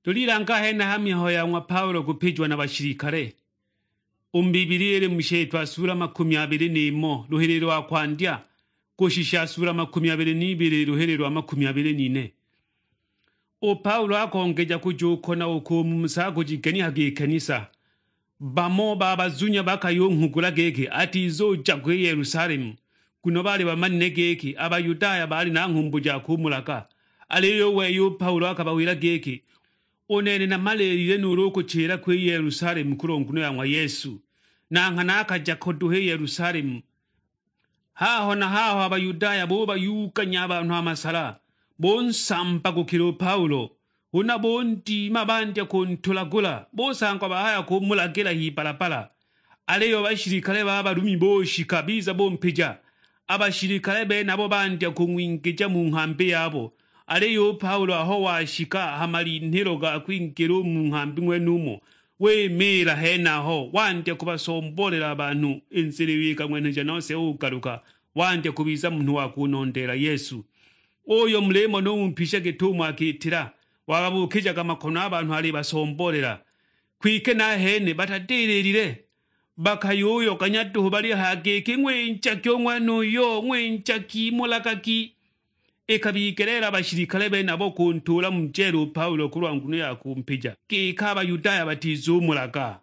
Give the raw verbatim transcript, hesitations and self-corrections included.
Tūlīlanga henaha mihayo ya ng'wa Paulo kūpījiwa na bashilikale. Ū mu Bibilia īlī mu Sheetwa sūla makūmi abīlī n'īmò lūhīlī lwa kwandya, kūshisha sūla makūmi abīlī n'ibīlī lūhīlī lwa makūmi abīlī n'ine. Ū Paulo akongeja kūjūkona ūko mu musago jigenyaga ī kanisa. Bamo ba bazunya bakayūnghugula gīkī atizūja kū Yelusalemu, nguno baalī bamanile gīkī a Bayudaya baalī na ng'humbu ja kūmulaga. Alīyo ū wei ū Paulo akabawīla gīkī, "Ū nene namaleelile nūūlū kūchīla kū Yelusalemu kūlwa nguno ya ng'wa Yesu." Na nghana akaja ko duhu i Yelusalemu. Haho na haho a Bayudaya bubayuganya a banhu a masala, bunsamba gukila u Paulo, huna bundima bandya kuntulagula, busangwa bahaya kumulagila h'ibalabala. Aliyo a bashilikale ba Balumi bushika biza bumpija. A bashilikale benabo bandya kung'wingija mu nghambi yabo, aliyo u Paulo aho washika ha malinhilo ga kwingila u mu nghambi ng'wenumo, wimiila henaho, wandya kubasombolela a banhu. I nzila iyo ikang'wenheja nose ugaluka, wandya kubiza munhu wa kunondeela Yesu. Uyo mulimona umpisha gitumo akitila, wababukijaga makono a banhu alibasombolela. Kwike nahene batadililile, bakayuyoganya duhu balihaya giki, "Ng'winjagi u ng'wenuyo, ng'winjagi, mulagagi!" Ikabigeleela a bashilikale benabo kuntuula mu jeela u Paulo kulwa nguno ya kumpija, giki a Bayudaya batizumulaga.